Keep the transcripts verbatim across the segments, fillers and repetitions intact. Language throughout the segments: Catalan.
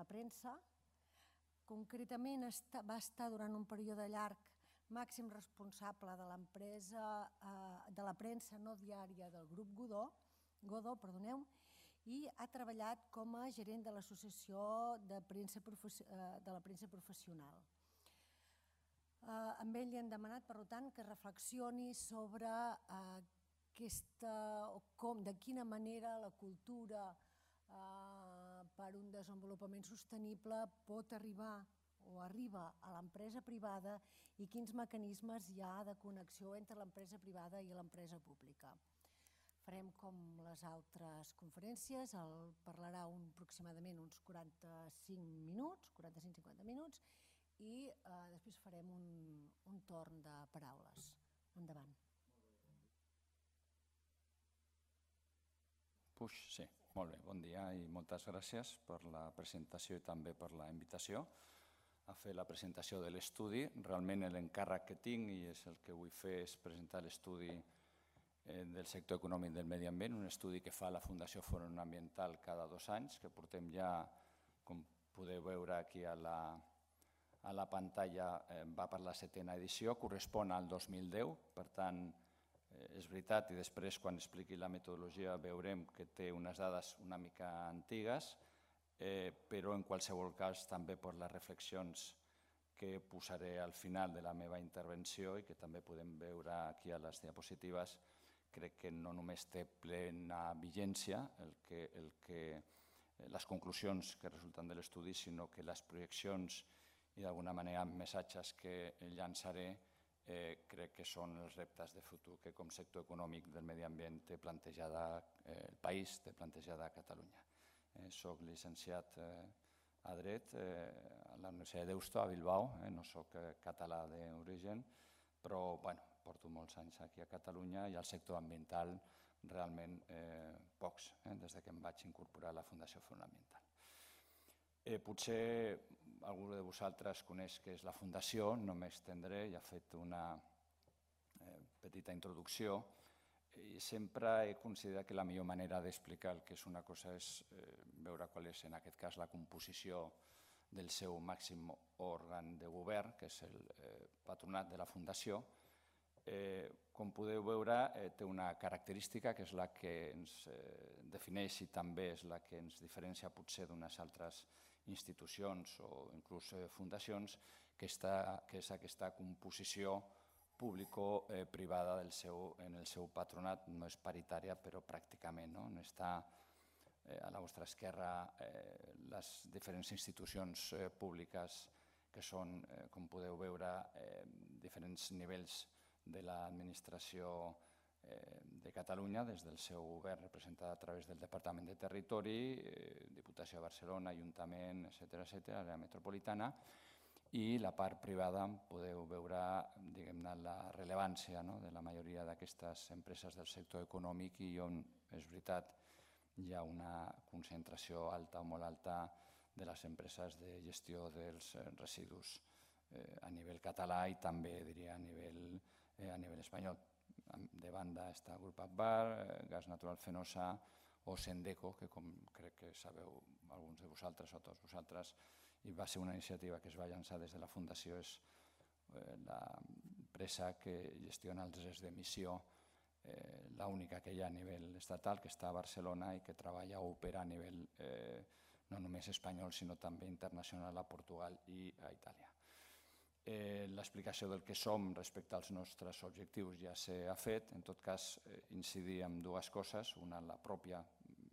la premsa. Concretament va estar durant un període llarg màxim responsable de l'empresa, de la premsa no diària del grup Godó, Godó, perdoneu, i ha treballat com a gerent de l'Associació de la Premsa Professional. Amb ell li hem demanat, per tant, que reflexioni sobre de quina manera la cultura per un desenvolupament sostenible pot arribar o arriba a l'empresa privada i quins mecanismes hi ha de connexió entre l'empresa privada i l'empresa pública. Farem com les altres conferències, parlarà aproximadament uns quaranta-cinc minuts, quaranta-cinc a cinquanta minuts, i després farem un torn de paraules. Endavant. Puix, sí. Molt bé, bon dia i moltes gràcies per la presentació i també per la invitació a fer la presentació de l'estudi. Realment l'encàrrec que tinc i és el que vull fer és presentar l'estudi del sector econòmic del medi ambient, un estudi que fa la Fundació Fòrum Ambiental cada dos anys, que portem ja, com podeu veure aquí a la a la pantalla, va per la setena edició, correspon al dos mil deu, per tant, és veritat, i després quan expliqui la metodologia veurem que té unes dades una mica antigues, però en qualsevol cas també per les reflexions que posaré al final de la meva intervenció i que també podem veure aquí a les diapositives, crec que no només té plena vigència les conclusions que resulten de l'estudi, sinó que les projeccions i d'alguna manera missatges que llançaré crec que són els reptes de futur que com sector econòmic del medi ambient té plantejada el país, té plantejada Catalunya. Soc llicenciat a Dret a la Universitat de Deusto, a Bilbao, no soc català d'origen, però porto molts anys aquí a Catalunya i al sector ambiental realment pocs, des que em vaig incorporar a la Fundació Fòrum Ambiental. Potser algú de vosaltres coneix què és la Fundació, no m'estendré, ja he fet una petita introducció i sempre he considerat que la millor manera d'explicar el que és una cosa és veure qual és en aquest cas la composició del seu màxim òrgan de govern, que és el patronat de la Fundació. Com podeu veure, té una característica que és la que ens defineix i també és la que ens diferencia potser d'unes altres institucions o inclús fundacions, que és aquesta composició público-privada en el seu patronat. No és paritària, però pràcticament. On està a la vostra esquerra les diferents institucions públiques que són, com podeu veure, diferents nivells de l'administració de Catalunya, des del seu govern representat a través del Departament de Territori, Diputació de Barcelona, Ajuntament, etcètera, àrea metropolitana, i la part privada podeu veure la rellevància de la majoria d'aquestes empreses del sector econòmic i on, és veritat, hi ha una concentració alta o molt alta de les empreses de gestió dels residus a nivell català i també, diria, a nivell espanyol. De banda està Grup Agbar, Gas Natural Fenosa o Sendeco, que com crec que sabeu alguns de vosaltres o tots vosaltres, i va ser una iniciativa que es va llançar des de la Fundació, és l'empresa que gestiona els drets d'emissió, l'única que hi ha a nivell estatal, que està a Barcelona i que treballa o opera a nivell no només espanyol, sinó també internacional a Portugal i a Itàlia. L'explicació del que som respecte als nostres objectius ja s'ha fet. En tot cas, incidir en dues coses. Una, la pròpia,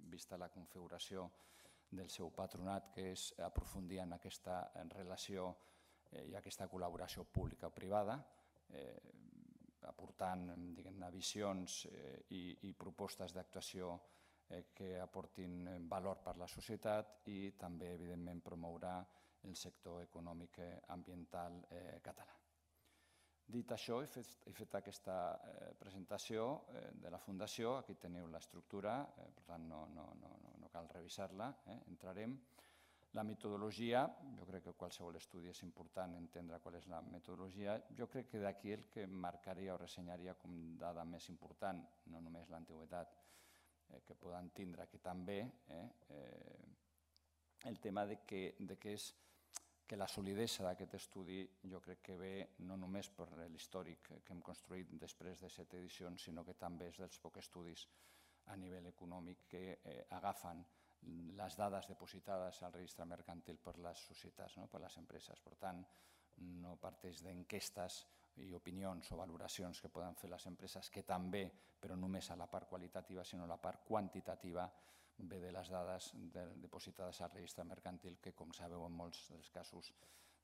vista la configuració del seu patronat, que és aprofundir en aquesta relació i aquesta col·laboració pública o privada, aportant visions i propostes d'actuació que aportin valor per a la societat i també, evidentment, promoure el sector econòmic ambiental català. Dit això, he fet aquesta presentació de la Fundació. Aquí teniu l'estructura, per tant no cal revisar-la, entrarem. La metodologia, jo crec que qualsevol estudi és important entendre qual és la metodologia. Jo crec que d'aquí el que marcaria o ressenyaria com dada més important, no només l'antiguitat que poden tindre, que també, el tema de que, de que és que la solidesa d'aquest estudi jo crec que ve no només per l'històric que hem construït després de set edicions, sinó que també és dels pocs estudis a nivell econòmic que eh, agafen les dades depositades al registre mercantil per les societats, no? Per les empreses. Per tant, no parteix d'enquestes i opinions o valoracions que poden fer les empreses, que també, però només a la part qualitativa, sinó a la part quantitativa, ve de les dades de, depositades al registre mercantil, que, com sabeu, en molts dels casos,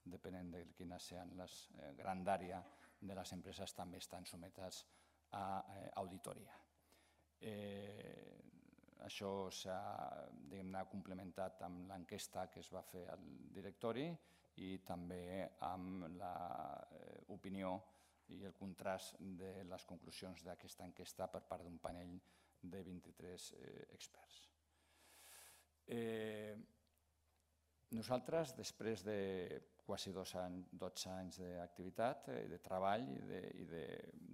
depenent de quina siguin les eh, grandària de les empreses, també estan sometes a eh, auditoria. Eh, això s'ha complementat amb l'enquesta que es va fer al directori i també amb l'opinió i el contrast de les conclusions d'aquesta enquesta per part d'un panell de vint-i-tres eh, experts. Eh, nosaltres, després de quasi dotze anys d'activitat, eh, de treball i de, i de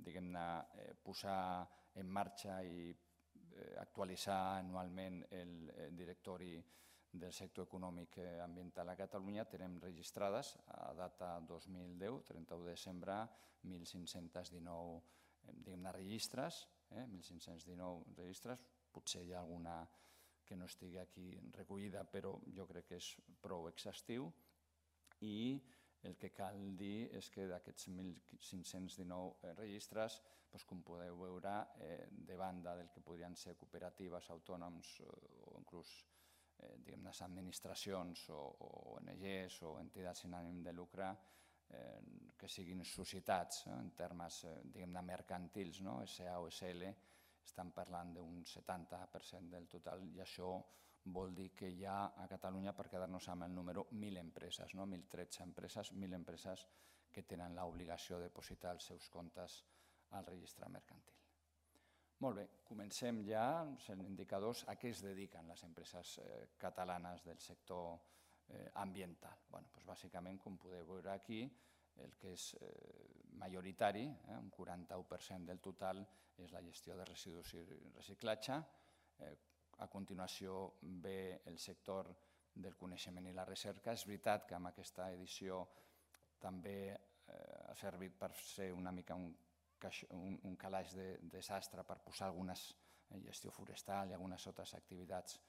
diguem-ne, eh, posar en marxa i eh, actualitzar anualment el, el directori del sector econòmic ambiental a Catalunya, tenim registrades a data dos mil deu, trenta-u de desembre, mil cinc-cents dinou diguem-ne, registres, eh, mil cinc-cents dinou registres, potser hi ha alguna que no estigui aquí recollida, però jo crec que és prou exhaustiu, i el que cal dir és que d'aquests mil cinc-cents dinou registres, com podeu veure, de banda del que podrien ser cooperatives, autònoms o inclús administracions o O N Ges o entitats sin ànim de lucre que siguin societats en termes mercantils, S A o S L, estan parlant d'un setanta per cent del total, i això vol dir que hi ha a Catalunya, per quedar-nos amb el número, mil empreses, mil tretze empreses, mil empreses que tenen l'obligació de depositar els seus comptes al registre mercantil. Molt bé, comencem ja els indicadors. A què es dediquen les empreses catalanes del sector ambiental? Bàsicament, com podeu veure aquí, el que és majoritari, un quaranta-u per cent del total, és la gestió de residus i reciclatge. A continuació ve el sector del coneixement i la recerca. És veritat que amb aquesta edició també ha servit per ser una mica un calaix de desastre per posar alguna gestió forestal i algunes altres activitats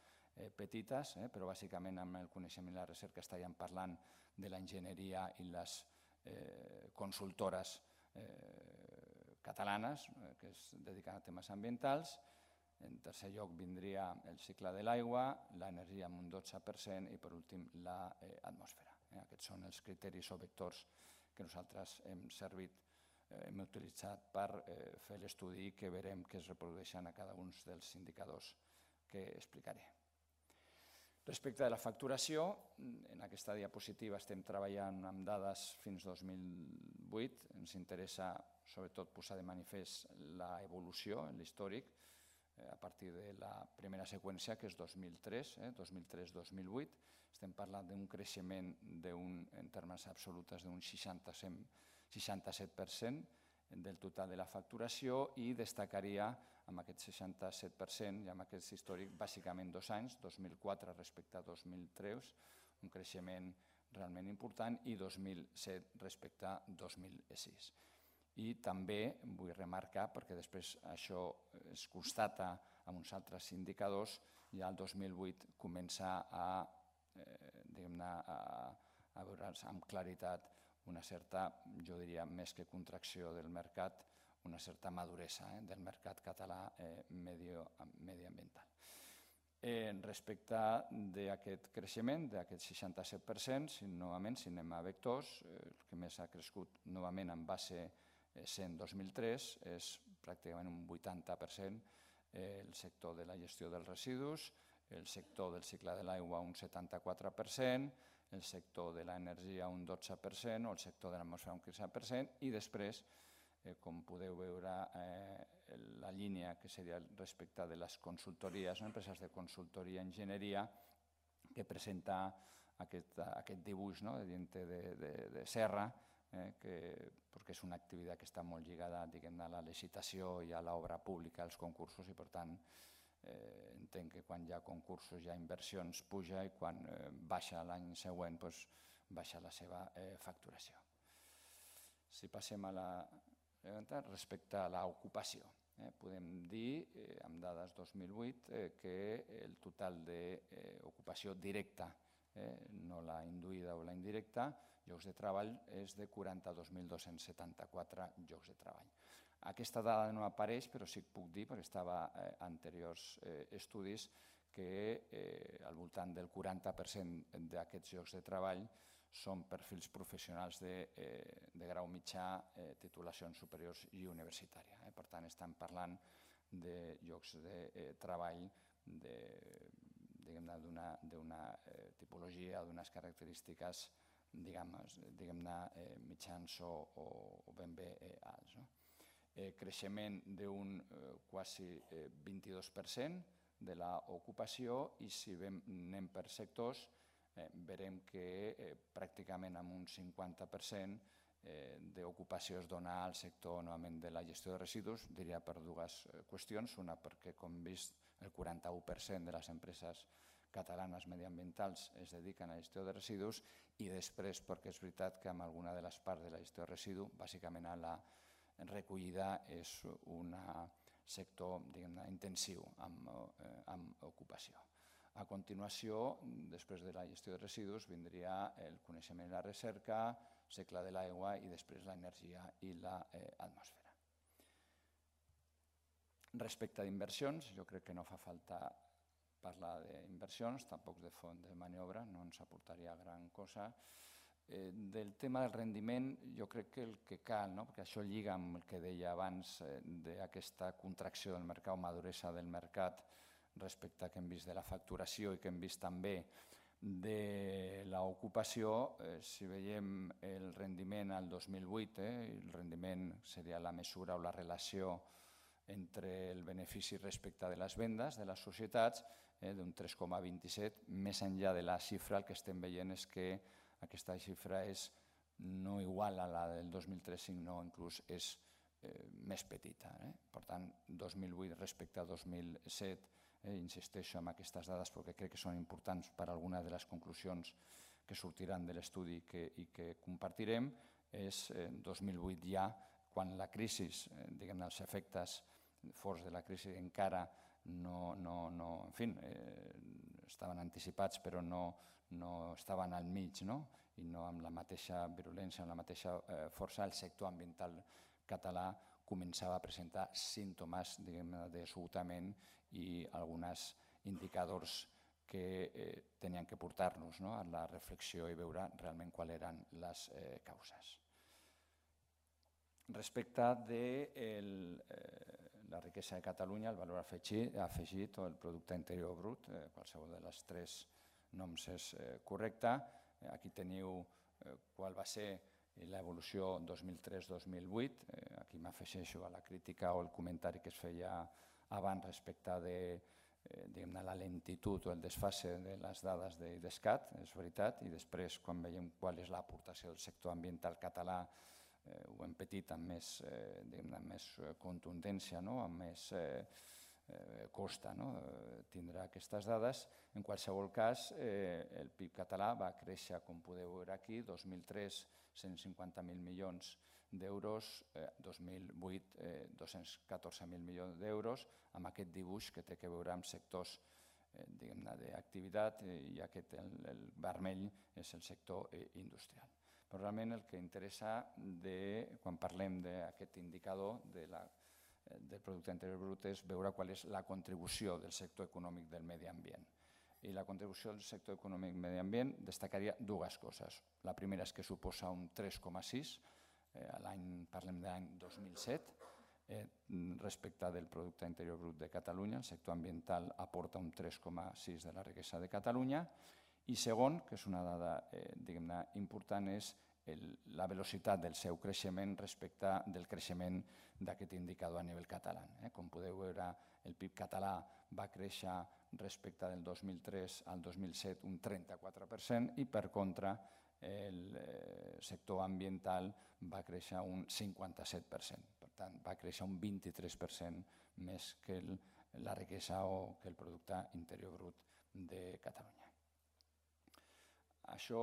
petites, però bàsicament amb el coneixement i la recerca estaríem parlant de l'enginyeria i les consultores catalanes que es dediquen a temes ambientals. En tercer lloc vindria el cicle de l'aigua, l'energia amb un dotze per cent i, per últim, l'atmosfera. Aquests són els criteris o vectors que nosaltres hem servit, hem utilitzat per fer l'estudi que veurem que es reprodueixen a cada un dels indicadors que explicaré. Respecte a la facturació, en aquesta diapositiva estem treballant amb dades fins dos mil vuit. Ens interessa sobretot posar de manifest l'evolució, l'històric, a partir de la primera seqüència, que és dos mil tres, dos mil tres dos mil vuit. Estem parlant d'un creixement en termes absolutes d'un seixanta-set per cent del total de la facturació, i destacaria amb aquest seixanta-set per cent i amb aquest històric bàsicament dos anys, dos mil quatre respecte a dos mil tres, un creixement realment important, i dos mil set respecte a dos mil sis. I també vull remarcar, perquè després això es constata amb uns altres indicadors, ja el dos mil vuit comença a veure's amb claritat una certa, jo diria, més que contracció del mercat, una certa maduresa del mercat català mediambiental. Respecte d'aquest creixement, d'aquest seixanta-set per cent, novament, si anem a vectors, el que més ha crescut novament en base cent dos mil tres és pràcticament un vuitanta per cent el sector de la gestió dels residus, el sector del cicle de l'aigua un setanta-quatre per cent, el sector de l'energia un dotze per cent o el sector de l'atmosfera un quinze per cent, i després, com podeu veure, la línia que seria respecte de les consultories, empreses de consultoria i enginyeria, que presenta aquest dibuix de diente de serra, perquè és una activitat que està molt lligada a la licitació i a l'obra pública, als concursos, i per tant entenc que quan hi ha concursos, hi ha inversions, puja, i quan baixa l'any següent, baixa la seva facturació. Si passem a la pregunta, respecte a l'ocupació, podem dir, amb dades dos mil vuit, que el total d'ocupació directa, no la induïda o la indirecta, llocs de treball, és de quaranta-dos mil dos-cents setanta-quatre llocs de treball. Aquesta dada no apareix, però sí que puc dir, perquè estava en anteriors estudis, que al voltant del quaranta per cent d'aquests llocs de treball són perfils professionals de grau mitjà, titulacions superiors i universitària. Per tant, estem parlant de llocs de treball d'una tipologia, d'unes característiques, diguem-ne, mitjans o ben bé alts. Creixement d'un quasi vint-i-dos per cent de l'ocupació, i si anem per sectors veurem que pràcticament amb un cinquanta per cent d'ocupació es dona al sector novament de la gestió de residus, diria per dues qüestions. Una, perquè com hem vist el quaranta-u per cent de les empreses catalanes mediambientals es dediquen a la gestió de residus, i després perquè és veritat que amb alguna de les parts de la gestió de residus, bàsicament a la recollida, és un sector intensiu amb ocupació. A continuació, després de la gestió de residus, vindria el coneixement i la recerca, el cicle de l'aigua i després l'energia i l'atmosfera. Respecte a inversions, jo crec que no fa falta parlar d'inversions, tampoc de fons de maniobra, no ens aportaria gran cosa. Del tema del rendiment, jo crec que el que cal, perquè això lliga amb el que deia abans d'aquesta contracció del mercat o maduresa del mercat respecte que hem vist de la facturació i que hem vist també de l'ocupació. Si veiem el rendiment al dos mil vuit, el rendiment seria la mesura o la relació entre el benefici respecte de les vendes de les societats, d'un tres coma vint-i-set. Més enllà de la xifra, el que estem veient és que aquesta xifra és no igual a la del dos mil tres, sinó inclús és més petita. Per tant, dos mil vuit respecte a dos mil set, insisteixo en aquestes dades perquè crec que són importants per a alguna de les conclusions que sortiran de l'estudi i que compartirem, és dos mil vuit ja, quan la crisi, diguem-ne, els efectes forts de la crisi encara no, en fi, estaven anticipats però no estaven al mig i no amb la mateixa virulència, amb la mateixa força. El sector ambiental català començava a presentar símptomes d'esgotament i alguns indicadors que tenien que portar-nos a la reflexió i veure realment quals eren les causes. Respecte de la riquesa de Catalunya, el valor afegit o el producte interior brut, qualsevol de les tres noms és correcte. Aquí teniu qual va ser l'evolució dos mil tres dos mil vuit. Aquí m'afegeixo a la crítica o el comentari que es feia abans respecte de la lentitud o el desfase de les dades d'IDESCAT, és veritat, i després quan veiem qual és l'aportació del sector ambiental català ho hem patit amb més contundència, amb més costa tindre aquestes dades. En qualsevol cas, el P I B català va créixer, com podeu veure aquí, dos mil tres, cent cinquanta mil milions d'euros, dos mil vuit, dos-cents catorze mil milions d'euros, amb aquest dibuix que té a veure amb sectors d'activitat, i aquest, el vermell, és el sector industrial. Però realment el que interessa quan parlem d'aquest indicador del producte interior brut és veure qual és la contribució del sector econòmic del medi ambient. I la contribució del sector econòmic del medi ambient destacaria dues coses. La primera és que suposa un tres coma sis, parlem de l'any dos mil set, respecte del producte interior brut de Catalunya. El sector ambiental aporta un tres coma sis de la riquesa de Catalunya. I segon, que és una dada important, és la velocitat del seu creixement respecte del creixement d'aquest indicador a nivell català. Com podeu veure, el P I B català va créixer respecte del dos mil tres al dos mil set un trenta-quatre per cent i, per contra, el sector ambiental va créixer un cinquanta-set per cent. Per tant, va créixer un vint-i-tres per cent més que el la riquesa o que el producte interior brut de Catalunya. Això,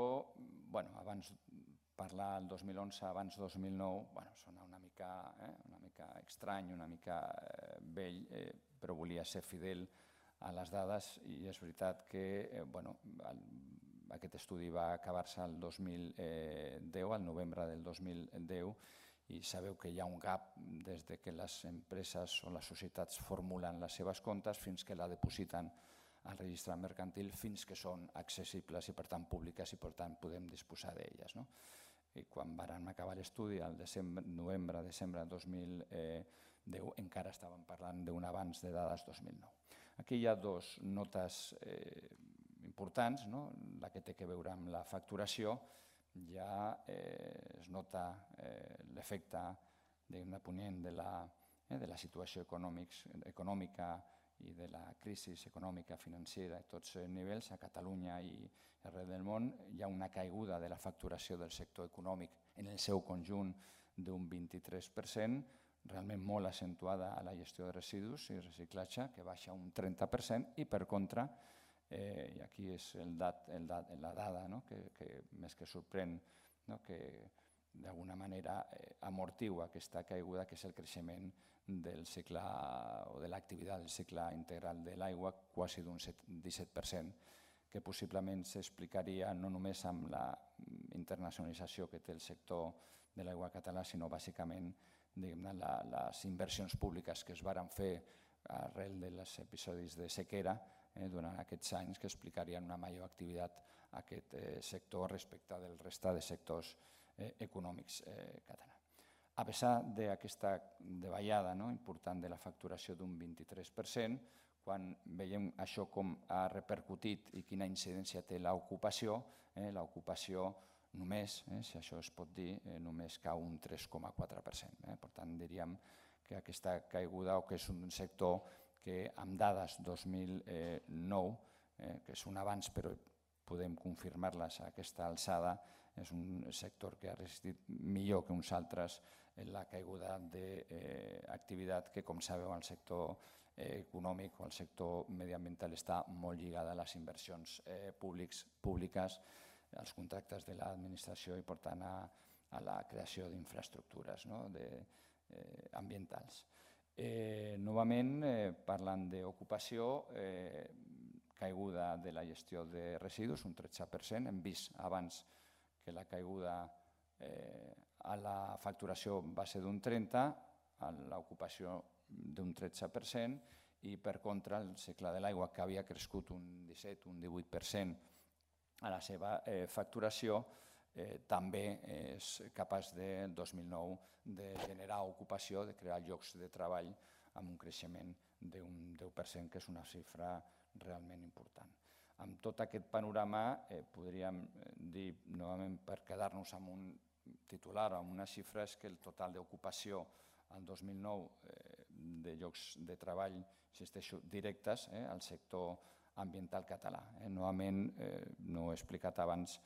bueno, abans parlar el dos mil onze, abans dos mil nou, bueno, sona una mica, eh, una mica estrany, una mica eh, vell, eh, però volia ser fidel a les dades i és veritat que eh, bueno, el, aquest estudi va acabar-se el dos mil deu, al novembre del dos mil deu, i sabeu que hi ha un gap des de que les empreses o les societats formulen les seves comptes fins que la depositen al registre mercantil, fins que són accessibles i per tant públiques i per tant podem disposar d'elles. No? I quan vam acabar l'estudi, al novembre, desembre del dos mil deu, encara estàvem parlant d'un avanç de dades dos mil nou. Aquí hi ha dues notes eh, importants, no? La que té a veure amb la facturació, ja eh, es nota eh, l'efecte ponent de la, eh, de la situació econòmica i de la crisi econòmica financera a tots els nivells, a Catalunya i arreu del món. Hi ha una caiguda de la facturació del sector econòmic en el seu conjunt d'un vint-i-tres per cent, realment molt accentuada a la gestió de residus i reciclatge, que baixa un trenta per cent, i per contra, eh, i aquí és el dat, el dat, la dada no? que, que més que sorprèn, no? que d'alguna manera eh, amortigua aquesta caiguda, que és el creixement del cicle o de l'activitat del cicle integral de l'aigua, quasi d'un disset per cent, que possiblement s'explicaria no només amb la internacionalització que té el sector de l'aigua català, sinó bàsicament la, les inversions públiques que es varen fer arrel dels episodis de sequera eh, durant aquests anys, que explicarien una major activitat a aquest eh, sector respecte del resta de sectors eh, econòmics eh, catalans. A pesar d'aquesta davallada no, important de la facturació d'un vint-i-tres per cent, quan veiem això com ha repercutit i quina incidència té l'ocupació, eh, l'ocupació només, eh, si això es pot dir, eh, només cau un tres coma quatre per cent. Eh. Per tant, diríem que aquesta caiguda, o que és un sector que amb dades dos mil nou, eh, que és un avanç però podem confirmar-les a aquesta alçada, és un sector que ha resistit millor que uns altres en la caiguda d'activitat que, com sabeu, el sector econòmic o el sector mediambiental està molt lligada a les inversions públiques, als contractes de l'administració i, per tant, a la creació d'infraestructures ambientals. Novament, parlant d'ocupació, caiguda de la gestió de residus, un tretze per cent. Hem vist abans que la caiguda a la facturació va ser d'un trenta per cent, a l'ocupació d'un tretze per cent, i per contra el cicle de l'aigua, que havia crescut un disset un divuit per cent a la seva facturació, també és capaç de dos mil nou de generar ocupació, de crear llocs de treball amb un creixement d'un deu per cent, que és una xifra realment important. Amb tot aquest panorama podríem dir, novament per quedar-nos amb un titular, amb unes xifres, que el total d'ocupació al dos mil nou de llocs de treball, insisteixo, directes al sector ambiental català. Novament, no ho he explicat abans,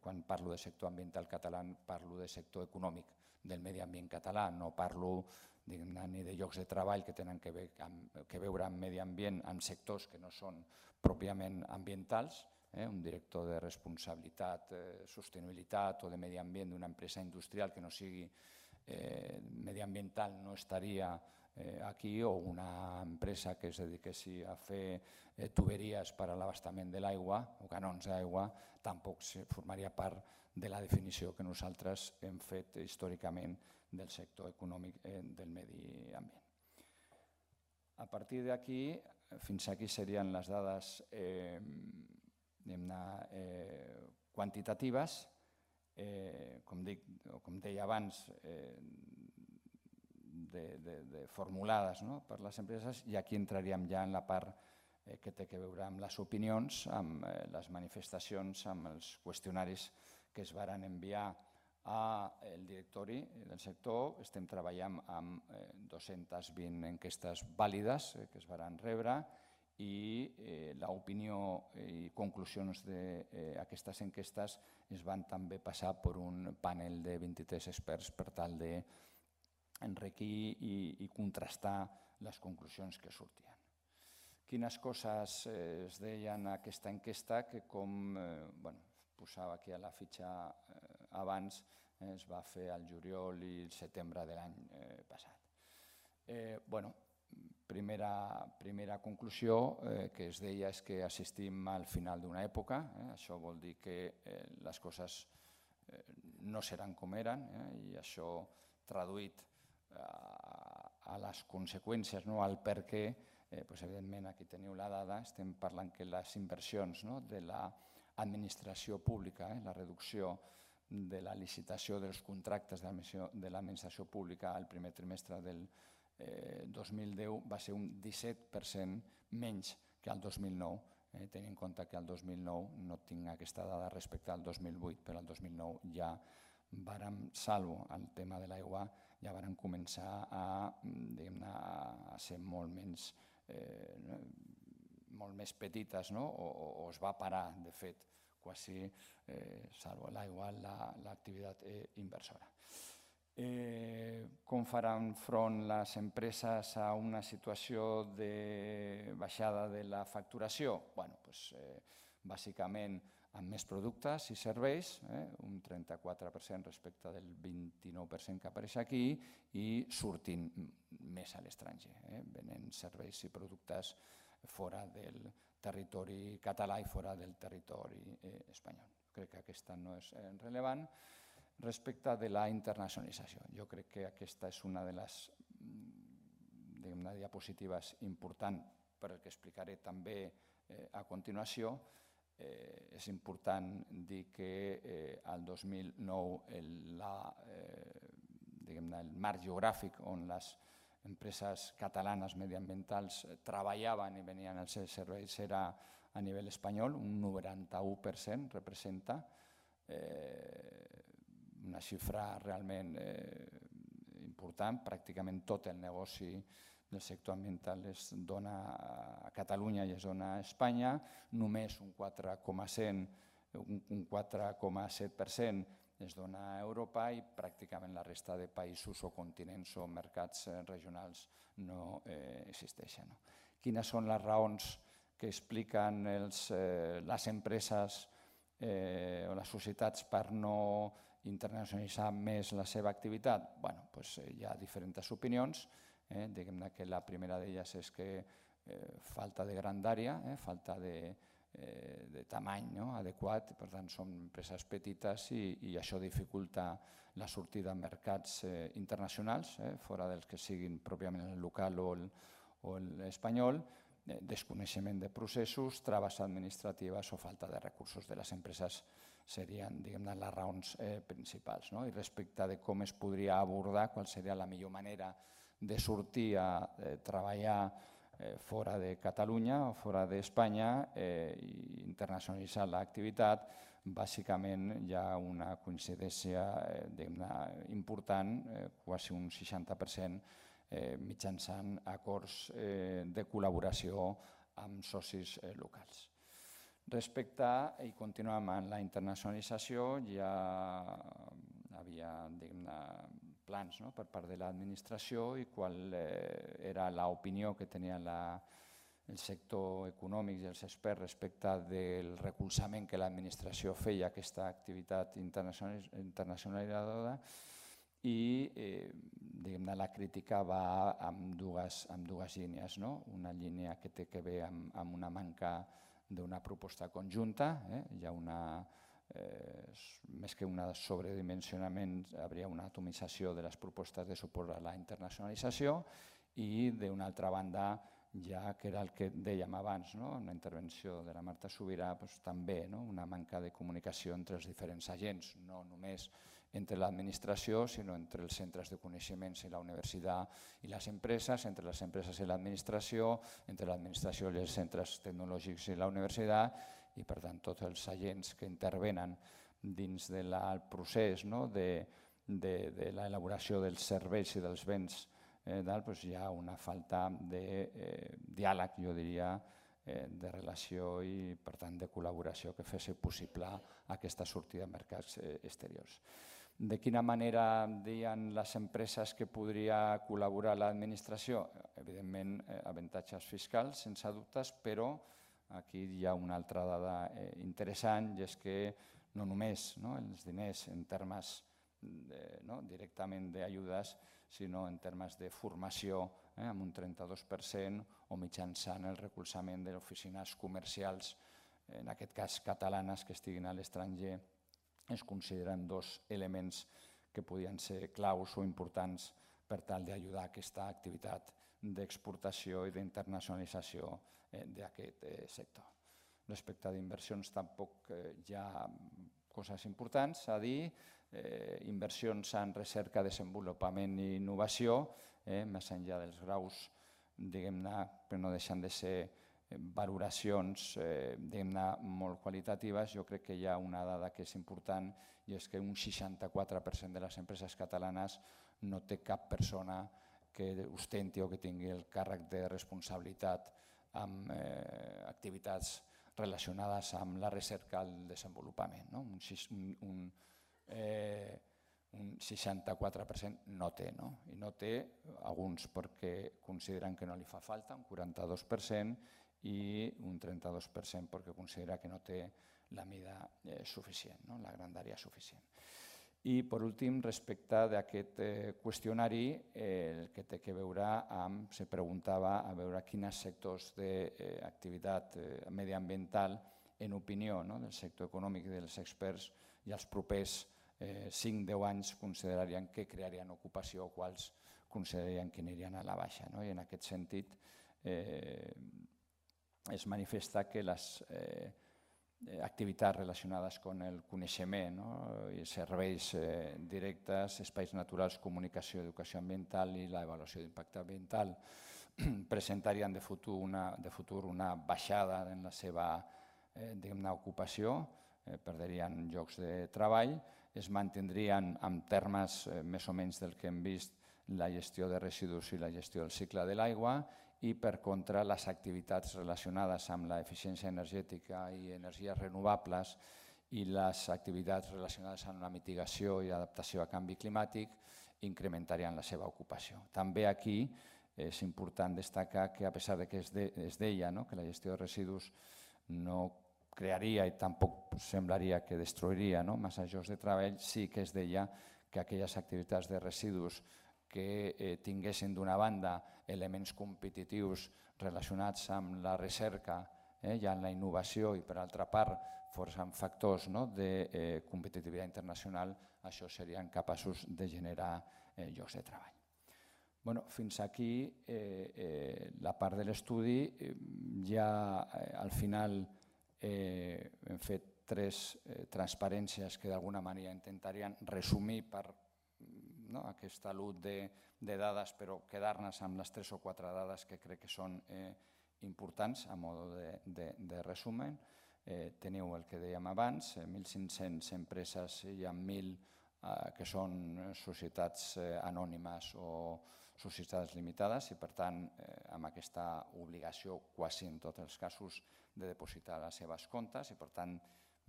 quan parlo de sector ambiental català parlo de sector econòmic del medi ambient català, no parlo ni de llocs de treball que tenen que veure amb medi ambient, amb sectors que no són pròpiament ambientals. Un director de responsabilitat, sostenibilitat o de medi ambient d'una empresa industrial que no sigui mediambiental no estaria aquí, o una empresa que es dediquessi a fer tuberies per a l'abastament de l'aigua o canons d'aigua tampoc formaria part de la definició que nosaltres hem fet històricament del sector econòmic del medi ambient. A partir d'aquí, fins aquí serien les dades quantitatives. Com deia abans, formulades per les empreses, i aquí entraríem ja en la part que té a veure amb les opinions, amb les manifestacions, amb els qüestionaris que es varen enviar al directori del sector. Estem treballant amb dos-centes vint enquestes vàlides que es varen rebre, i l'opinió i conclusions d'aquestes enquestes es van també passar per un panel de vint-i-tres experts per tal d'enriquir i contrastar les conclusions que sortien. Quines coses es deien en aquesta enquesta que, com posava aquí a la fitxa abans, es va fer al juliol i el setembre de l'any passat. Bueno, primera conclusió que es deia és que assistim al final d'una època. Això vol dir que les coses no seran com eren i això traduït a les conseqüències, al per què, evidentment aquí teniu la dada, estem parlant que les inversions de l'administració pública, la reducció de la licitació dels contractes de l'administració pública al primer trimestre del dos mil deu va ser un disset per cent menys que el dos mil nou, tenint en compte que el dos mil nou no tinc aquesta dada respecte al dos mil vuit, però el dos mil nou ja vàrem, salvo el tema de l'aigua, ja vàrem començar a ser molt menys molt més petites, o es va parar, de fet, quasi, salvo l'aigua, l'activitat inversora. Com faran front les empreses a una situació de baixada de la facturació? Bàsicament amb més productes i serveis, un trenta-quatre per cent respecte del vint-i-nou per cent que apareix aquí, i sortint més a l'estranger, venent serveis i productes fora del territori català i fora del territori espanyol. Crec que aquesta no és rellevant. Respecte de la internacionalització, jo crec que aquesta és una de les diapositives importants per el que explicaré també a continuació. És important dir que el dos mil nou el marc geogràfic on les empreses catalanes mediambientals treballaven i venien als seus serveis era a nivell espanyol, un noranta-u per cent representa, una xifra realment important. Pràcticament tot el negoci del sector ambiental es dona a Catalunya i es dona a Espanya, només un quatre coma set per cent es dona a Europa i pràcticament la resta de països o continents o mercats regionals no existeixen. Quines són les raons que expliquen les empreses o les societats per no internacionalitzar més la seva activitat? Hi ha diferents opinions. Diguem que la primera d'elles és que falta de grandària, falta de tamany adequat, per tant són empreses petites i això dificulta la sortida a mercats internacionals, fora dels que siguin pròpiament el local o l'espanyol, desconeixement de processos, traves administratives o falta de recursos de les empreses serien les raons principals. I respecte de com es podria abordar, qual seria la millor manera de sortir a treballar fora de Catalunya o fora d'Espanya i internacionalitzar l'activitat, bàsicament hi ha una coincidència important, quasi un seixanta per cent, mitjançant acords de col·laboració amb socis locals. Respecte, i continuem amb la internacionalització, ja havia plans per part de l'administració i qual era l'opinió que tenia el sector econòmic i els experts respecte del recolzament que l'administració feia a aquesta activitat internacionalitzadora, i la crítica va amb dues línies. Una línia que té a veure amb una manca d'una proposta conjunta, hi ha una, més que un sobredimensionament, hi hauria una atomització de les propostes de suport a la internacionalització, i d'una altra banda, ja que era el que dèiem abans, en la intervenció de la Marta Subirà, també una manca de comunicació entre els diferents agents, no només entre l'administració, sinó entre els centres de coneixements i la universitat i les empreses, entre les empreses i l'administració, entre l'administració i els centres tecnològics i la universitat, i per tant tots els agents que intervenen dins del procés de l'elaboració dels serveis i dels béns, hi ha una falta de diàleg, jo diria, de relació i per tant de col·laboració que fes possible aquesta sortida a mercats exteriors. De quina manera deien les empreses que podria col·laborar l'administració? Evidentment, avantatges fiscals, sense dubtes, però aquí hi ha una altra dada interessant, i és que no només els diners en termes directament d'ajudes, sinó en termes de formació, amb un trenta-dos per cent, o mitjançant el recolzament de oficines comercials, en aquest cas catalanes, que estiguin a l'estranger, es consideren dos elements que podien ser claus o importants per tal d'ajudar a aquesta activitat d'exportació i d'internacionalització d'aquest sector. Respecte a d'inversions tampoc hi ha coses importants a dir. Inversions en recerca, desenvolupament i innovació, més enllà dels graus, diguem-ne, però no deixen de ser valoracions molt qualitatives. Jo crec que hi ha una dada que és important, i és que un seixanta-quatre per cent de les empreses catalanes no té cap persona que ostenti o que tingui el càrrec de responsabilitat amb activitats relacionades amb la recerca i el desenvolupament. Un seixanta-quatre per cent no té, i no té alguns perquè consideren que no li fa falta, un quaranta-dos per cent, i un trenta-dos per cent perquè considera que no té la mida suficient, la grandària suficient. I, per últim, respecte d'aquest qüestionari, el que té a veure amb, se preguntava a veure quins sectors d'activitat mediambiental, en opinió del sector econòmic i dels experts, i els propers cinc a deu anys considerarien que crearien ocupació o quals considerarien que anirien a la baixa. I en aquest sentit, es manifesta que les activitats relacionades amb el coneixement i serveis directes, espais naturals, comunicació, educació ambiental i l'avaluació d'impacte ambiental presentarien de futur una baixada en la seva ocupació, perdrien llocs de treball, es mantindrien en termes més o menys del que hem vist la gestió de residus i la gestió del cicle de l'aigua, i per contra les activitats relacionades amb l'eficiència energètica i energies renovables i les activitats relacionades amb la mitigació i adaptació a canvi climàtic incrementarien la seva ocupació. També aquí és important destacar que, a pesar que es deia que la gestió de residus no crearia i tampoc semblaria que destruiria massa llocs de treball, sí que es deia que aquelles activitats de residus que tinguessin d'una banda elements competitius relacionats amb la recerca i amb la innovació i, per altra part, forçant factors de competitivitat internacional, això serien capaços de generar llocs de treball. Fins aquí la part de l'estudi. Ja al final hem fet tres transparències que d'alguna manera intentarien resumir per aquesta lot de dades, però quedar-nos amb les tres o quatre dades que crec que són importants a mode de resumen. Teniu el que dèiem abans, mil cinc-cents empreses i amb mil que són societats anònimes o societats limitades i, per tant, amb aquesta obligació quasi en tots els casos de depositar les seves comptes i, per tant,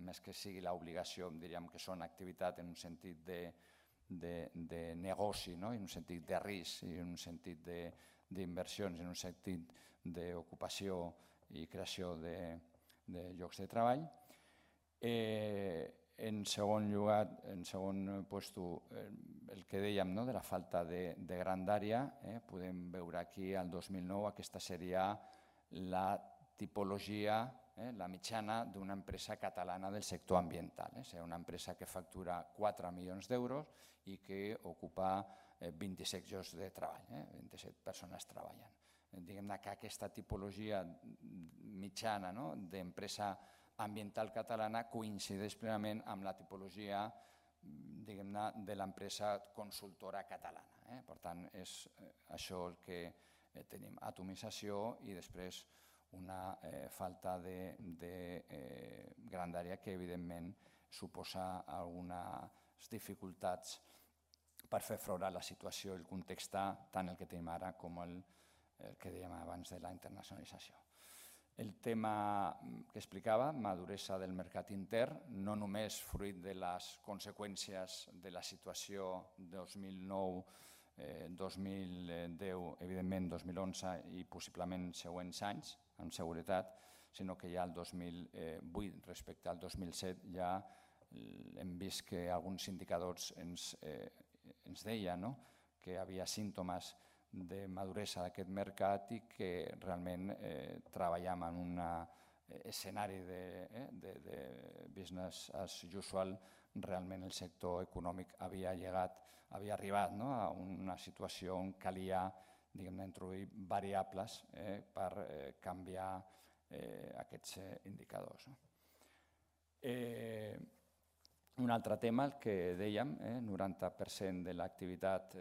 més que sigui l'obligació, diríem que són activitat en un sentit de de negoci, en un sentit de risc i en un sentit d'inversions, en un sentit d'ocupació i creació de llocs de treball. En segon lloc, en segon lloc, el que dèiem de la falta de grandària, podem veure aquí el dos mil nou, aquesta seria la tipologia, la mitjana d'una empresa catalana del sector ambiental. És una empresa que factura quatre milions d'euros i que ocupa vint-i-set llocs de treball, vint-i-set persones treballant. Diguem-ne que aquesta tipologia mitjana d'empresa ambiental catalana coincideix plenament amb la tipologia de l'empresa consultora catalana. Per tant, és això el que tenim, atomització i després una falta de grandària que, evidentment, suposa algunes dificultats per fer front a la situació i el context, tant el que tenim ara com el que dèiem abans de la internacionalització. El tema que explicava, maduresa del mercat intern, no només fruit de les conseqüències de la situació dos mil nou, dos mil deu, evidentment dos mil onze i possiblement següents anys, amb seguretat, sinó que ja el dos mil vuit respecte al dos mil set ja hem vist que alguns indicadors ens deien que hi havia símptomes de maduresa d'aquest mercat i que realment treballem en un escenari de business as usual. Realment el sector econòmic havia llegat, havia arribat a una situació on calia introduir variables per canviar aquests indicadors. Un altre tema, el que dèiem, el noranta per cent de l'activitat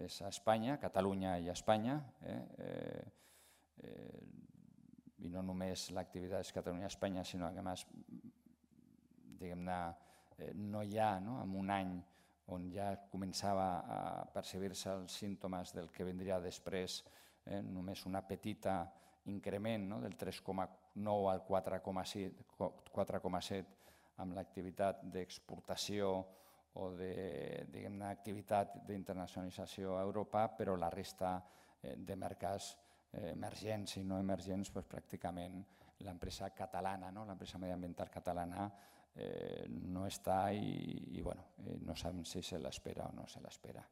és a Espanya, Catalunya i Espanya, i no només l'activitat és Catalunya i Espanya, sinó que a més no hi ha, en un any on ja començava a percebir-se els símptomes del que vindria després, només una petita increment del tres coma nou al quatre coma set amb l'activitat d'exportació o d'activitat d'internacionalització a Europa, però la resta de mercats emergents i no emergents, pràcticament l'empresa catalana, l'empresa mediambiental catalana no està i no sabem si se l'espera o no se l'espera.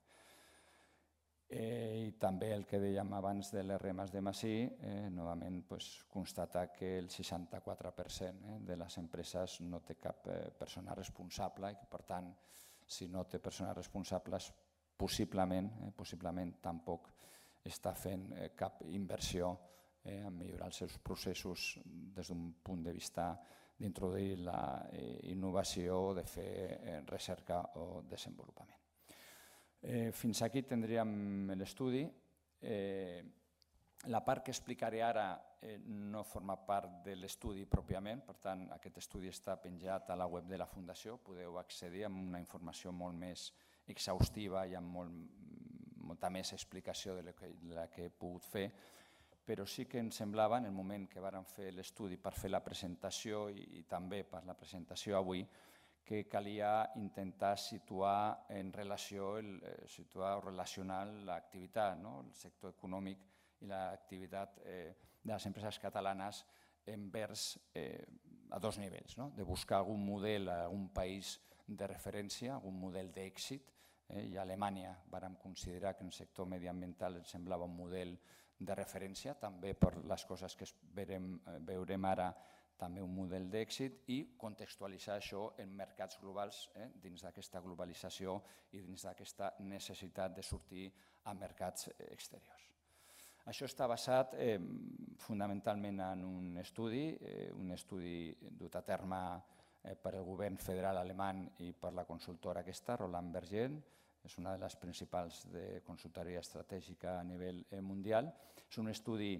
I també el que dèiem abans de les remes de Masí, novament constatar que el seixanta-quatre per cent de les empreses no té cap persona responsable i que, per tant, si no té persones responsables, possiblement tampoc està fent cap inversió en millorar els seus processos des d'un punt de vista d'introduir la innovació o de fer recerca o desenvolupament. Fins aquí tindríem l'estudi. La part que explicaré ara no forma part de l'estudi pròpiament, per tant, aquest estudi està penjat a la web de la Fundació, podeu accedir amb una informació molt més exhaustiva i amb molta més explicació de la que he pogut fer, però sí que ens semblava, en el moment que vàrem fer l'estudi per fer la presentació i també per la presentació avui, que calia intentar situar en relació, situar o relacionar l'activitat, el sector econòmic i l'activitat de les empreses catalanes envers a dos nivells, de buscar algun model a algun país de referència, algun model d'èxit, i a Alemanya vàrem considerar que el sector mediambiental ens semblava un model de referència, també per les coses que veurem ara, també un model d'èxit, i contextualitzar això en mercats globals dins d'aquesta globalització i dins d'aquesta necessitat de sortir a mercats exteriors. Això està basat fonamentalment en un estudi, un estudi dut a terme per el govern federal alemany i per la consultora aquesta, Roland Berger, és una de les principals de consultoria estratègica a nivell mundial. És un estudi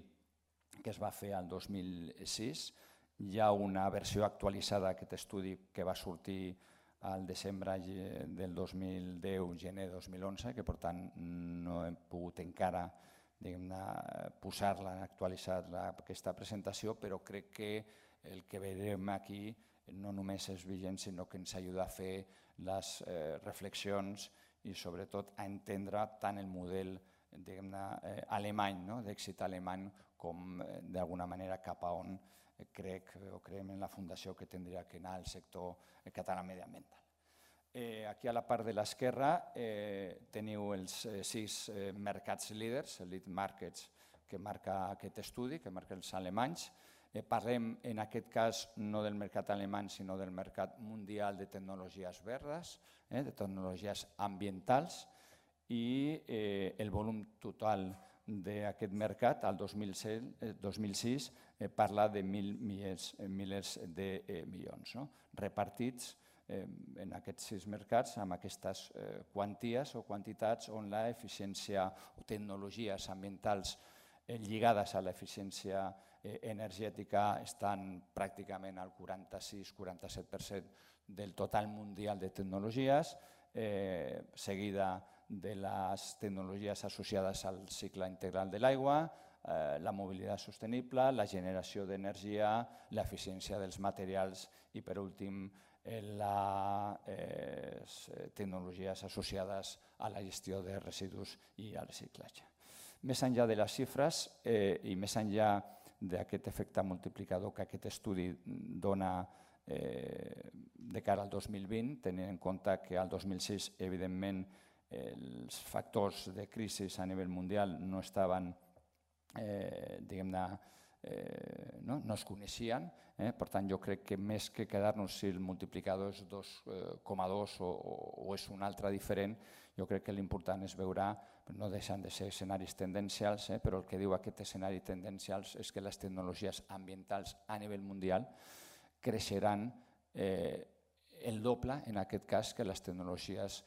que es va fer el dos mil sis. Hi ha una versió actualitzada d'aquest estudi que va sortir al desembre del dos mil deu, gener dos mil onze, que per tant no hem pogut encara posar-la, actualitzar aquesta presentació, però crec que el que veurem aquí no només és vigent, sinó que ens ajuda a fer les reflexions i sobretot a entendre tant el model alemany, d'èxit alemany, com d'alguna manera cap a on crec o creiem en la Fundació que tindria que anar el sector català mediambiental. Aquí a la part de l'esquerra teniu els sis mercats líders, elite markets, que marca aquest estudi, que marca els alemanys. Parlem en aquest cas no del mercat alemany, sinó del mercat mundial de tecnologies verdes, de tecnologies ambientals, i el volum total d'aquest mercat, el dos mil sis, parla de mil milers de milions, repartits en aquests sis mercats amb aquestes quanties o quantitats on l'eficiència o tecnologies ambientals lligades a l'eficiència energètica estan pràcticament al quaranta-sis quaranta-set per cent del total mundial de tecnologies, seguida de les tecnologies associades al cicle integral de l'aigua, la mobilitat sostenible, la generació d'energia, l'eficiència dels materials i, per últim, les tecnologies associades a la gestió de residus i al reciclatge. Més enllà de les xifres i més enllà d'aquest efecte multiplicador que aquest estudi dona de cara al dos mil vint, tenint en compte que al dos mil sis, evidentment, els factors de crisi a nivell mundial no estaven, diguem-ne, no es coneixien. Per tant, jo crec que més que quedar-nos si el multiplicador és dos coma dos o és un altre diferent, jo crec que l'important és veure, no deixen de ser escenaris tendencials, però el que diu aquest escenari tendencials és que les tecnologies ambientals a nivell mundial creixeran el doble, en aquest cas, que les tecnologies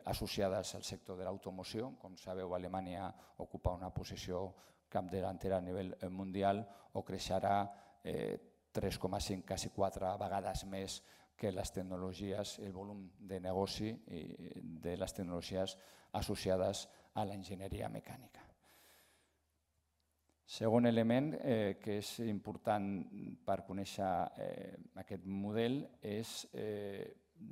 associades al sector de l'automoció. Com sabeu, Alemanya ocupa una posició capdavantera a nivell mundial o creixerà tres coma cinc, quasi quatre vegades més que les tecnologies, el volum de negoci de les tecnologies associades a l'enginyeria mecànica. Segon element que és important per conèixer aquest model és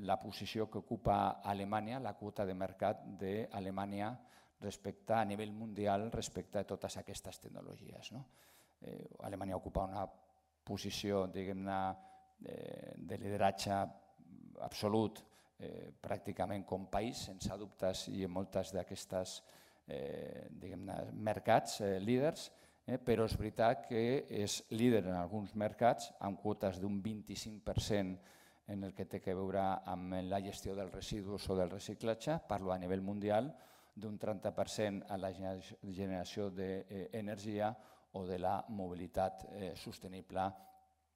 la posició que ocupa Alemanya, la quota de mercat d'Alemanya respecte a nivell mundial respecte a totes aquestes tecnologies. Alemanya ocupa una posició, diguem-ne, de lideratge absolut pràcticament com país, sense dubtes, i en moltes d'aquestes mercats líders, però és veritat que és líder en alguns mercats amb quotes d'un vint-i-cinc per cent en el que té a veure amb la gestió dels residus o del reciclatge, parlo a nivell mundial, d'un trenta per cent a la generació d'energia o de la mobilitat sostenible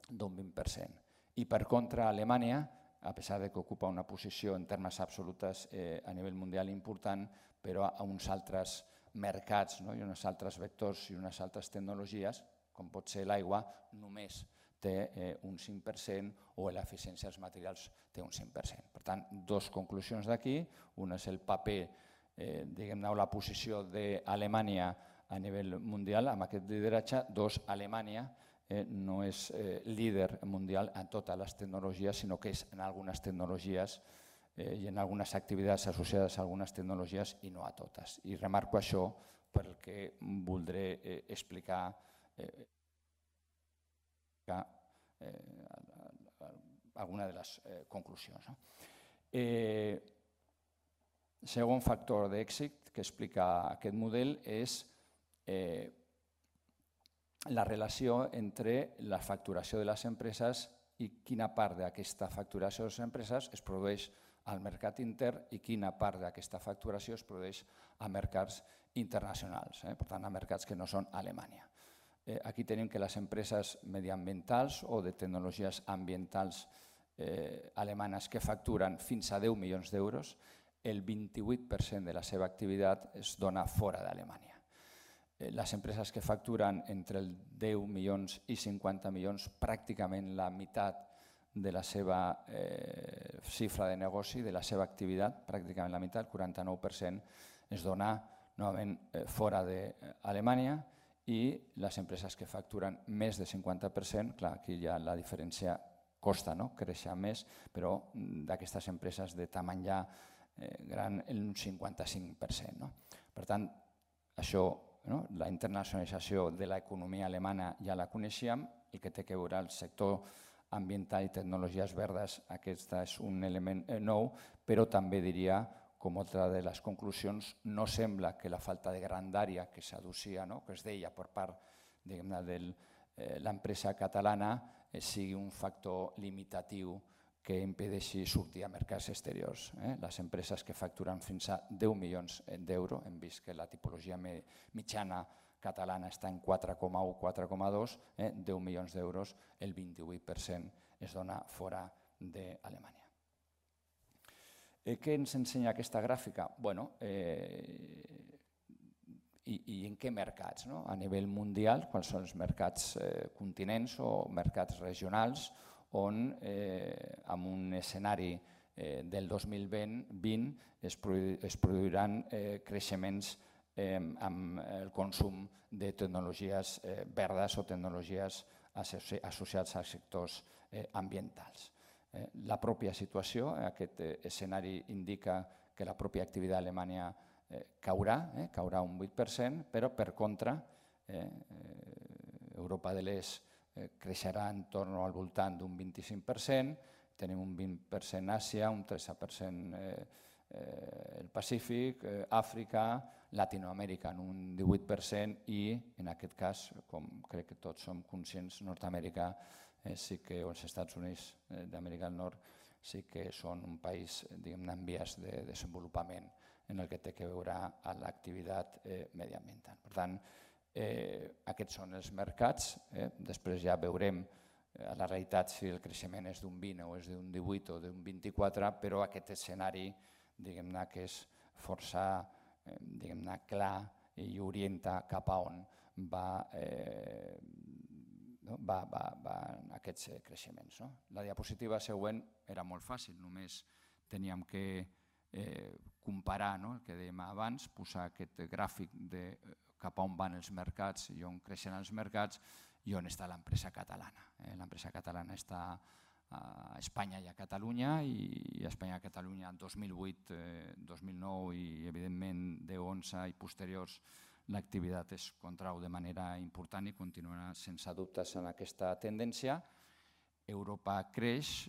d'un vint per cent. I per contra, Alemanya, a pesar que ocupa una posició en termes absolutes a nivell mundial important, però a uns altres mercats i uns altres vectors i unes altres tecnologies, com pot ser l'aigua, només té un cinc per cent o l'eficiència dels materials té un cinc per cent. Per tant, dues conclusions d'aquí. Un és el paper, diguem-ne, o la posició d'Alemanya a nivell mundial amb aquest lideratge. Dos, Alemanya no és líder mundial en totes les tecnologies, sinó que és en algunes tecnologies i en algunes activitats associades a algunes tecnologies i no a totes. I remarco això perquè voldré explicar alguna de les conclusions. Segon factor d'èxit que explica aquest model és la relació entre la facturació de les empreses i quina part d'aquesta facturació de les empreses es produeix al mercat intern i quina part d'aquesta facturació es produeix a mercats internacionals, per tant, a mercats que no són Alemanya. Aquí tenim que les empreses mediambientals o de tecnologies ambientals alemanes que facturen fins a deu milions d'euros, el vint-i-vuit per cent de la seva activitat es dona fora d'Alemanya. Les empreses que facturen entre els deu milions i cinquanta milions, pràcticament la meitat de la seva xifra de negoci, de la seva activitat, pràcticament la meitat, el quaranta-nou per cent, es dona novament fora d'Alemanya, i les empreses que facturen més del cinquanta per cent, clar, aquí ja la diferència costa créixer més, però d'aquestes empreses de tamany ja gran, un cinquanta-cinc per cent. Per tant, això, la internacionalització de l'economia alemana ja la coneixíem, el que té a veure el sector ambiental i tecnologies verdes, aquest és un element nou, però també diria, com altra de les conclusions, no sembla que la falta de grandària que s'aducia, que es deia per part de l'empresa catalana, sigui un factor limitatiu que impedeixi sortir a mercats exteriors. Les empreses que facturen fins a deu milions d'euros, hem vist que la tipologia mitjana catalana està en quatre coma u a quatre coma dos, deu milions d'euros, el vint-i-vuit per cent es dona fora d'Alemanya. Què ens ensenya aquesta gràfica? Bueno, i en què mercats? A nivell mundial, quals són els mercats continents o mercats regionals on en un escenari del dos mil vint es produiran creixements amb el consum de tecnologies verdes o tecnologies associades a sectors ambientals. La pròpia situació, aquest escenari indica que la pròpia activitat alemanya caurà, caurà un vuit per cent, però per contra Europa de l'Est creixerà en torn al voltant d'un vint-i-cinc per cent, tenim un vint per cent Àsia, un tretze per cent el Pacífic, Àfrica, Latinoamèrica en un divuit per cent i, en aquest cas, com crec que tots som conscients, Nord-Amèrica sí que, o els Estats Units d'Amèrica del Nord, sí que són un país, diguem-ne, en vies de desenvolupament en el que té que veure amb l'activitat mediambiental. Per tant, aquests són els mercats, després ja veurem a la realitat si el creixement és d'un vint o és d'un divuit o d'un vint-i-quatre, però aquest escenari, diguem-ne, que és força, diguem-ne, clar i orienta cap a on va aquests creixements. La diapositiva següent era molt fàcil, només teníem que comparar el que dèiem abans, posar aquest gràfic de cap a on van els mercats i on creixen els mercats i on està l'empresa catalana. L'empresa catalana està a Espanya i a Catalunya, i a Espanya i a Catalunya dos mil vuit, dos mil nou i evidentment deu onze i posteriors l'activitat es contrau de manera important i continuarà sense dubtes en aquesta tendència. Europa creix,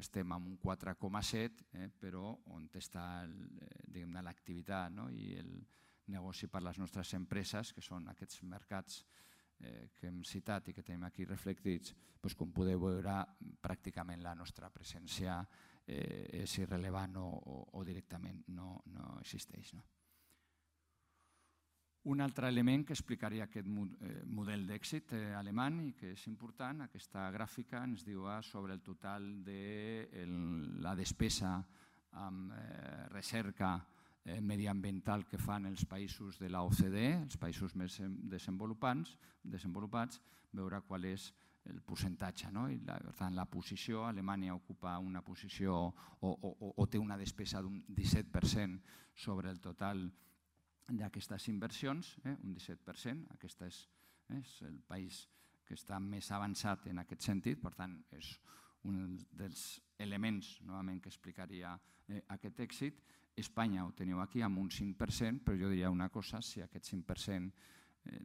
estem en un quatre coma set, però on està l'activitat i el negoci per a les nostres empreses, que són aquests mercats que hem citat i que tenim aquí reflectits, com podeu veure, pràcticament la nostra presència és irrellevant o directament no existeix. Un altre element que explicaria aquest model d'èxit alemany i que és important, aquesta gràfica ens diu sobre el total de la despesa en recerca mediambiental que fan els països de l'O C D E, els països més desenvolupats, veure qual és el percentatge. Per tant, la posició, Alemanya ocupa una posició o té una despesa d'un disset per cent sobre el total d'aquestes inversions, un disset per cent. Aquest és el país que està més avançat en aquest sentit, per tant, és un dels elements que explicaria aquest èxit. Espanya ho teniu aquí amb un cinc per cent, però jo diria una cosa, si aquest cinc per cent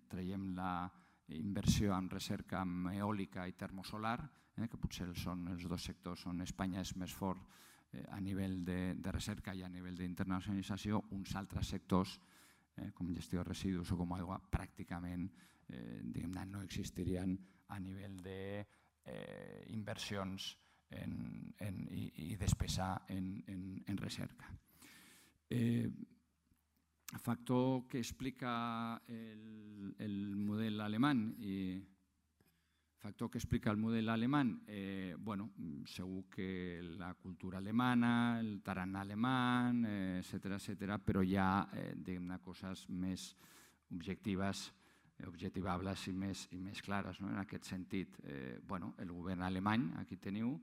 traiem la inversió en recerca en eòlica i termosolar, que potser són els dos sectors on Espanya és més fort a nivell de recerca i a nivell d'internacionalització, uns altres sectors, com gestió de residus o com aigua, pràcticament no existirien a nivell d'inversions i despesa en recerca. El factor que explica el model alemany i factor que explica el model alemany, segur que la cultura alemana, el tarannà alemany, etcètera, però hi ha coses més objectives, objectivables i més clares. En aquest sentit, el govern alemany, aquí teniu,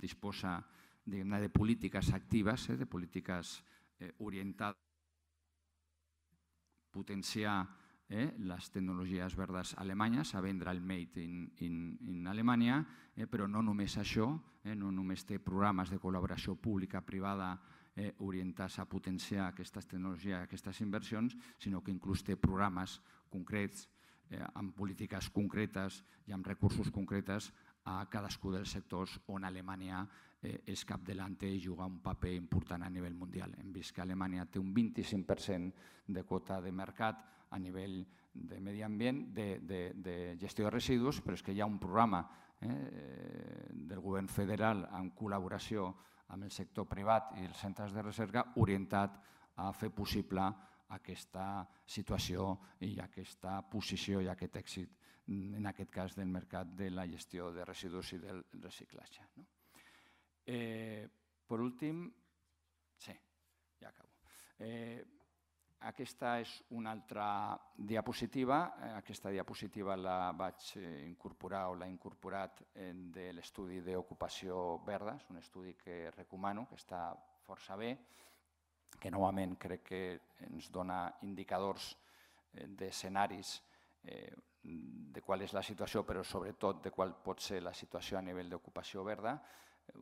disposa de polítiques actives, de polítiques orientades a potenciar les tecnologies verdes alemanyes, a vendre el Made in Alemanya, però no només això, no només té programes de col·laboració pública-privada orientats a potenciar aquestes tecnologies, aquestes inversions, sinó que inclús té programes concrets, amb polítiques concretes i amb recursos concrets a cadascú dels sectors on Alemanya és capdavanter i juga un paper important a nivell mundial. Hem vist que Alemanya té un vint-i-cinc per cent de quota de mercat a nivell de medi ambient, de gestió de residus, però és que hi ha un programa del govern federal en col·laboració amb el sector privat i els centres de recerca orientat a fer possible aquesta situació i aquesta posició i aquest èxit, en aquest cas del mercat de la gestió de residus i del reciclatge. Per últim, sí, ja acabo. Aquesta és una altra diapositiva. Aquesta diapositiva la vaig incorporar o l'ha incorporat de l'estudi d'ocupació verda. És un estudi que recomano, que està força bé. que novament crec que ens dona indicadors d'escenaris de qual és la situació, però sobretot de qual pot ser la situació a nivell d'ocupació verda.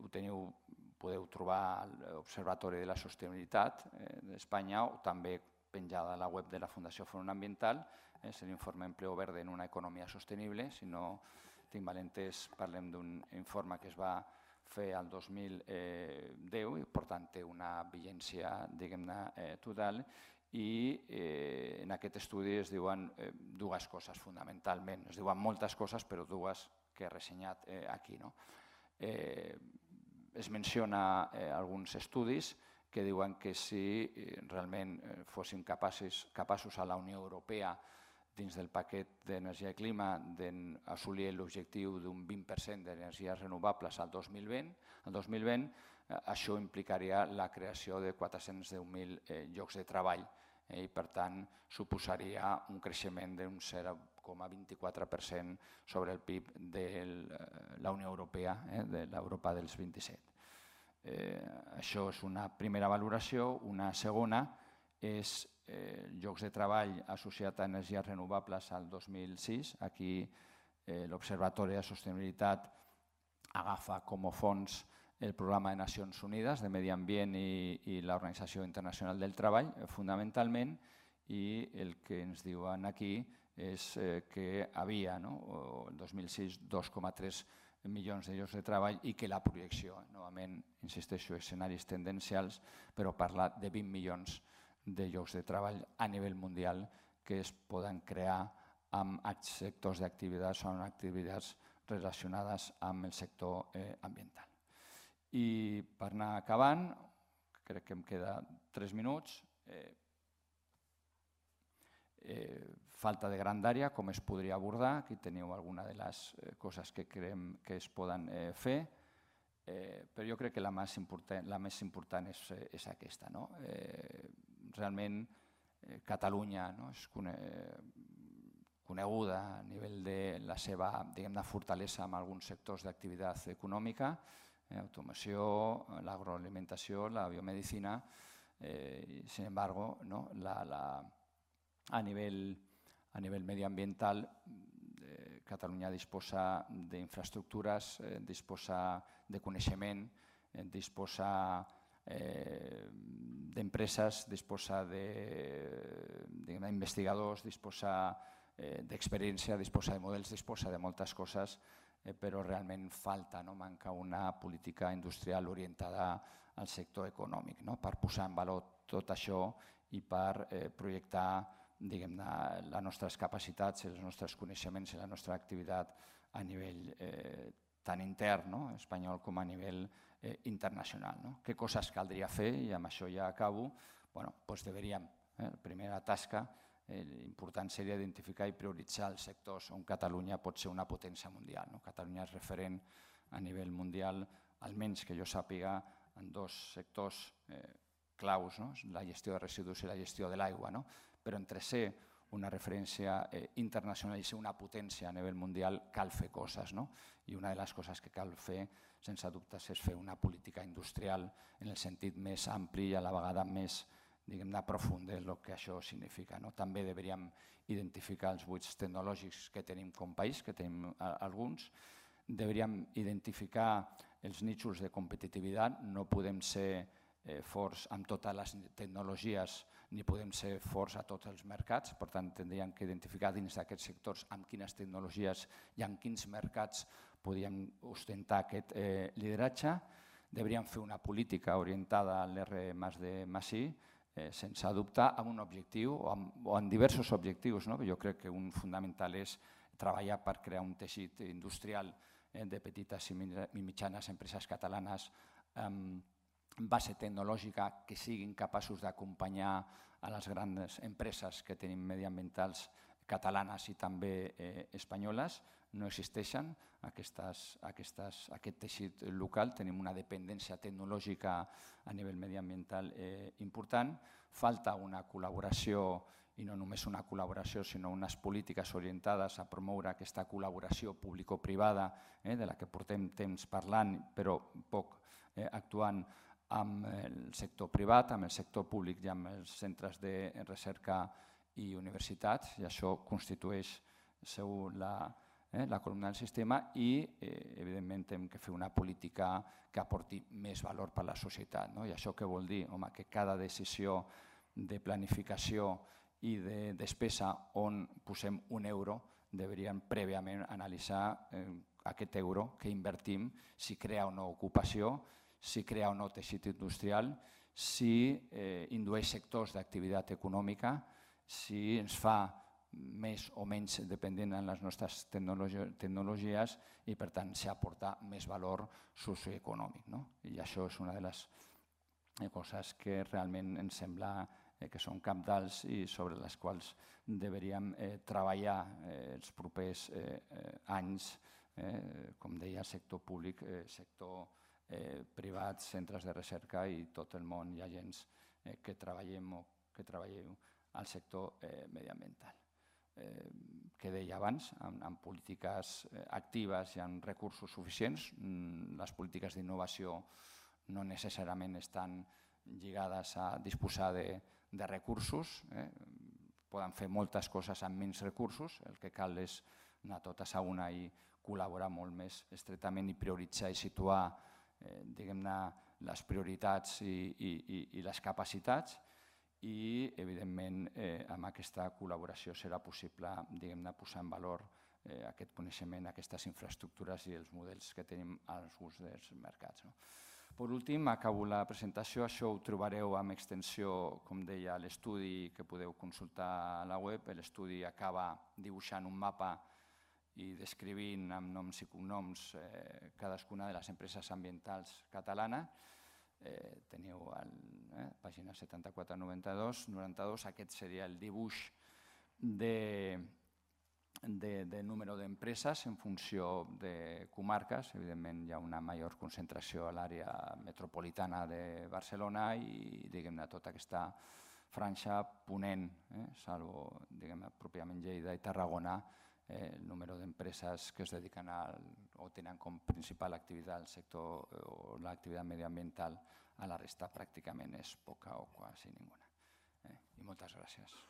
Ho teniu, podeu trobar a l'Observatori de la Sostenibilitat d'Espanya o també penjada a la web de la Fundació Front Ambiental. És l'informe Empleo Verde en una economia sostenible. Si no tinc malentès, parlem d'un informe que es va fer el dos mil deu i per tant té una vigència, diguem-ne, total. I en aquest estudi es diuen dues coses fonamentalment. Es diuen moltes coses, però dues que he ressenyat aquí. Es menciona alguns estudis que diuen que si realment fóssim capaços a la Unió Europea, dins del paquet d'energia i clima, d'assolir l'objectiu d'un vint per cent d'energies renovables al dos mil vint, això implicaria la creació de quatre-cents deu mil llocs de treball i, per tant, suposaria un creixement d'un zero coma vint-i-quatre per cent sobre el P I B de la Unió Europea, de l'Europa dels vint-i-set. Això és una primera valoració. Una segona és llocs de treball associats a energies renovables al dos mil sis. Aquí l'Observatori de Sostenibilitat agafa com a fons el Programa de Nacions Unides de Medi Ambient i l'Organització Internacional del Treball, fonamentalment, i el que ens diuen aquí és que havia, el dos mil sis, dos coma tres milions de llocs de treball i que la projecció, novament, insisteixo, escenaris tendencials, però parla de vint milions de llocs de treball a nivell mundial que es poden crear amb sectors d'activitats o amb activitats relacionades amb el sector ambiental. I per anar acabant, crec que em queda tres minuts, falta de grandària, com es podria abordar. Aquí teniu alguna de les coses que creiem que es poden fer, però jo crec que la més important és aquesta. Realment, Catalunya és coneguda a nivell de la seva fortalesa en alguns sectors d'activitat econòmica, automoció, l'agroalimentació, la biomedicina. Sin embargo, a nivell mediambiental, Catalunya disposa d'infraestructures, disposa de coneixement, disposa d'empreses, disposa d'investigadors, disposa d'experiència, disposa de models, disposa de moltes coses, però realment falta, manca una política industrial orientada al sector econòmic per posar en valor tot això i per projectar les nostres capacitats, els nostres coneixements i la nostra activitat a nivell tant intern espanyol com a nivell internacional. Què coses caldria fer? I amb això ja acabo. Doncs deveríem, la primera tasca important seria identificar i prioritzar els sectors on Catalunya pot ser una potència mundial. Catalunya és referent a nivell mundial, almenys que jo sàpiga, en dos sectors claus, la gestió de residus i la gestió de l'aigua. Però entre ser una referència internacional i ser una potència a nivell mundial cal fer coses. I una de les coses que cal fer, sense dubtes, és fer una política industrial en el sentit més ampli i a la vegada més profund del que això significa. També hauríem identificar els buits tecnològics que tenim com a país, que tenim alguns. Hauríem identificar els nichos de competitivitat. No podem ser forts amb totes les tecnologies ni podem ser forts a tots els mercats. Per tant, hauríem d'identificar dins d'aquests sectors amb quines tecnologies i en quins mercats podríem ostentar aquest lideratge. Hauríem fer una política orientada a l'R més D més I, sense dubte, amb un objectiu o amb diversos objectius. Jo crec que un fonamental és treballar per crear un teixit industrial de petites i mitjanes empreses catalanes amb base tecnològica que siguin capaços d'acompanyar a les grans empreses que tenim mediambientals catalanes i també espanyoles. No existeixen aquest teixit local, tenim una dependència tecnològica a nivell mediambiental important. Falta una col·laboració, i no només una col·laboració, sinó unes polítiques orientades a promoure aquesta col·laboració público-privada, de la que portem temps parlant però poc actuant amb el sector privat, amb el sector públic i amb els centres de recerca i universitats, i això constitueix segur la, eh, la columna del sistema i, eh, evidentment, hem de fer una política que aporti més valor per a la societat. No? I això què vol dir? Home, que cada decisió de planificació i de despesa on posem un euro deberíem prèviament analitzar eh, aquest euro que invertim, si crea o no ocupació, si crea o no teixit industrial, si eh, indueix sectors d'activitat econòmica, si ens fa més o menys dependent de les nostres tecnologies i, per tant, si aporta més valor socioeconòmic. No? I això és una de les coses que realment ens sembla que són cabdals i sobre les quals deveríem eh, treballar eh, els propers eh, eh, anys, eh, com deia, el sector públic, eh, sector eh, privat, centres de recerca i tot el món i agents eh, que treballem o que treballeu al sector eh, mediambiental. Eh, que deia abans, amb, amb polítiques eh, actives i amb recursos suficients, mm, les polítiques d'innovació no necessàriament estan lligades a disposar de, de recursos, eh? Poden fer moltes coses amb menys recursos, el que cal és anar totes a una i col·laborar molt més estretament i prioritzar i situar eh, diguem-ne, les prioritats i, i, i, i les capacitats i, evidentment, eh, amb aquesta col·laboració serà possible diguem-ne, posar en valor eh, aquest coneixement, aquestes infraestructures i els models que tenim als gust dels mercats. No? Per últim, acabo la presentació. Això ho trobareu amb extensió, com deia, a l'estudi que podeu consultar a la web. L'estudi acaba dibuixant un mapa i descrivint amb noms i cognoms eh, cadascuna de les empreses ambientals catalanes. Eh, teniu a eh, pàgina setanta-quatre noranta-dos, noranta-dos, aquest seria el dibuix de, de, de número d'empreses en funció de comarques. Evidentment hi ha una major concentració a l'àrea metropolitana de Barcelona i diguem-ne tota aquesta franja ponent, eh, salvo diguem-ne pròpiament Lleida i Tarragona, eh, el número d'empreses que es dediquen al, o tenen com principal activitat el sector o l'activitat mediambiental, a la resta pràcticament és poca o quasi ninguna. Eh, I moltes gràcies.